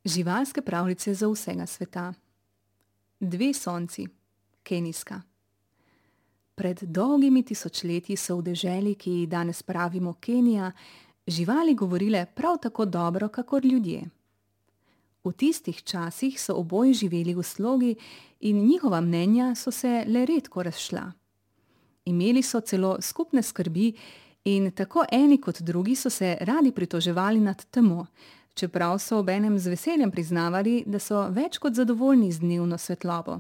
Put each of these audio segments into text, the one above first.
Živalske pravljice za vsega sveta. Dve sonci, kenijska. Pred dolgimi tisočletji so v deželi, ki ji danes pravimo Kenija, živali govorile prav tako dobro, kakor ljudje. V tistih časih so oboji živeli v slogi in njihova mnenja so se le redko razšla. Imeli so celo skupne skrbi in tako eni kot drugi so se radi pritoževali nad temo, čeprav so obenem z veseljem priznavali, da so več kot zadovoljni z dnevno svetlobo.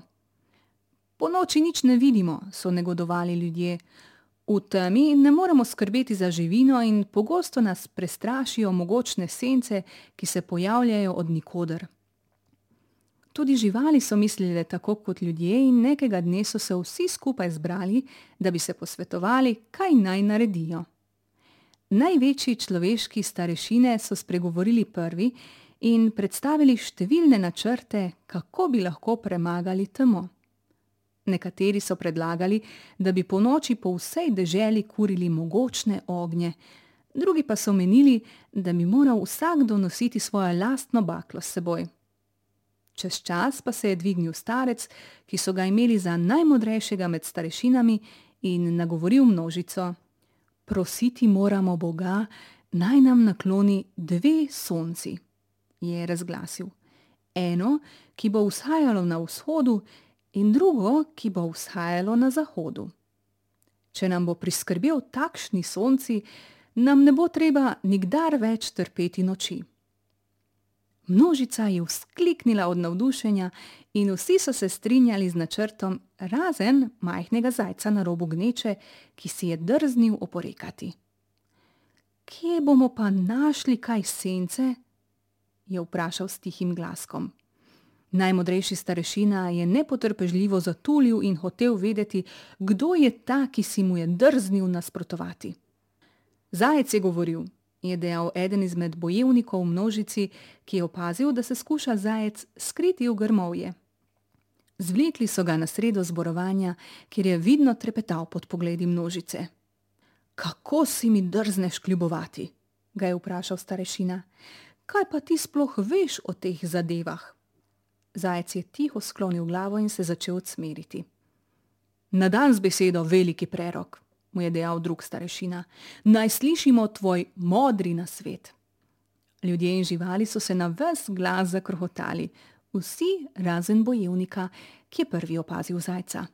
Ponoči nič ne vidimo, so negodovali ljudje. V temi ne moremo skrbeti za živino in pogosto nas prestrašijo mogočne sence, ki se pojavljajo od nikoder. Tudi živali so mislile tako kot ljudje in nekega dne so se vsi skupaj zbrali, da bi se posvetovali, kaj naj naredijo. Največji človeški starešine so spregovorili prvi in predstavili številne načrte, kako bi lahko premagali temo. Nekateri so predlagali, da bi ponoči po vsej deželi kurili mogočne ognje, drugi pa so menili, da bi moral vsakdo nositi svojo lastno baklo s seboj. Čez čas pa se je dvignil starec, ki so ga imeli za najmodrejšega med starešinami, in nagovoril množico: "Prositi moramo Boga, naj nam nakloni dve sonci," je razglasil. Eno, ki bo vzhajalo na vzhodu, in drugo, ki bo vzhajalo na zahodu. Če nam bo priskrbel takšni sonci, nam ne bo treba nikdar več trpeti noči. Množica je vzkliknila od navdušenja in vsi so se strinjali z načrtom, razen majhnega zajca na robu gneče, ki si je drznil oporekati. "Kje bomo pa našli kaj sence?" je vprašal s tihim glaskom. Najmodrejši starešina je nepotrpežljivo zatulil in hotel vedeti, kdo je ta, ki si mu je drznil nasprotovati. "Zajec je govoril," je dejal eden izmed bojevnikov v množici, ki je opazil, da se skuša zajec skriti v grmovje. Zvlekli so ga na sredo zborovanja, kjer je vidno trepetal pod pogledi množice. "Kako si mi drzneš kljubovati?" ga je vprašal starešina. "Kaj pa ti sploh veš o teh zadevah?" Zajec je tiho sklonil glavo in se začel odsmeriti. "Na dan z besedo, veliki prerok," mu je dejal drug starešina. "Naj slišimo tvoj modri nasvet." Ljudje in živali so se na ves glas zakrohotali, vsi razen bojevnika, ki je prvi opazil zajca.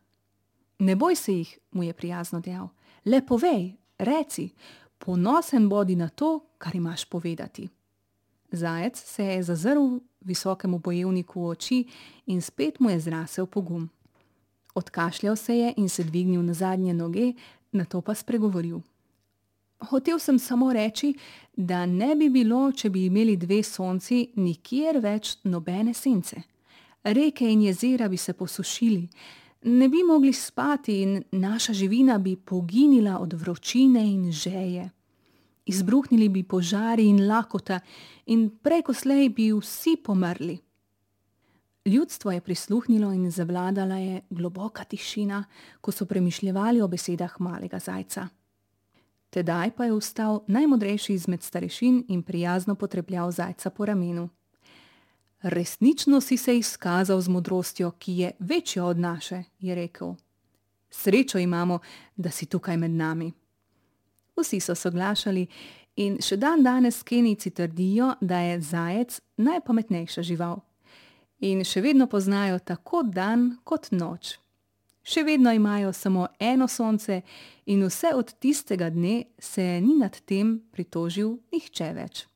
"Ne boj se jih," mu je prijazno dejal. "Le povej, reci, ponosen bodi na to, kar imaš povedati." Zajec se je zazrl visokemu bojevniku v oči in spet mu je zrasel pogum. Odkašljal se je in se dvignil na zadnje noge, nato pa spregovoril. "Hotel sem samo reči, da ne bi bilo, če bi imeli dve sonci, nikjer več nobene sence. Reke in jezera bi se posušili, ne bi mogli spati in naša živina bi poginila od vročine in žeje. Izbruhnili bi požari in lakota in prej ko slej bi vsi pomrli." Ljudstvo je prisluhnilo in zavladala je globoka tišina, ko so premišljevali o besedah malega zajca. Tedaj pa je vstal najmodrejši izmed starešin in prijazno potrepljal zajca po ramenu. "Resnično si se izkazal z modrostjo, ki je večja od naše," je rekel. "Srečo imamo, da si tukaj med nami." Vsi so soglašali in še dan danes Kenijci trdijo, da je zajec najpametnejša žival. In še vedno poznajo tako dan kot noč. Še vedno imajo samo eno sonce in vse od tistega dne se ni nad tem pritožil nihče več.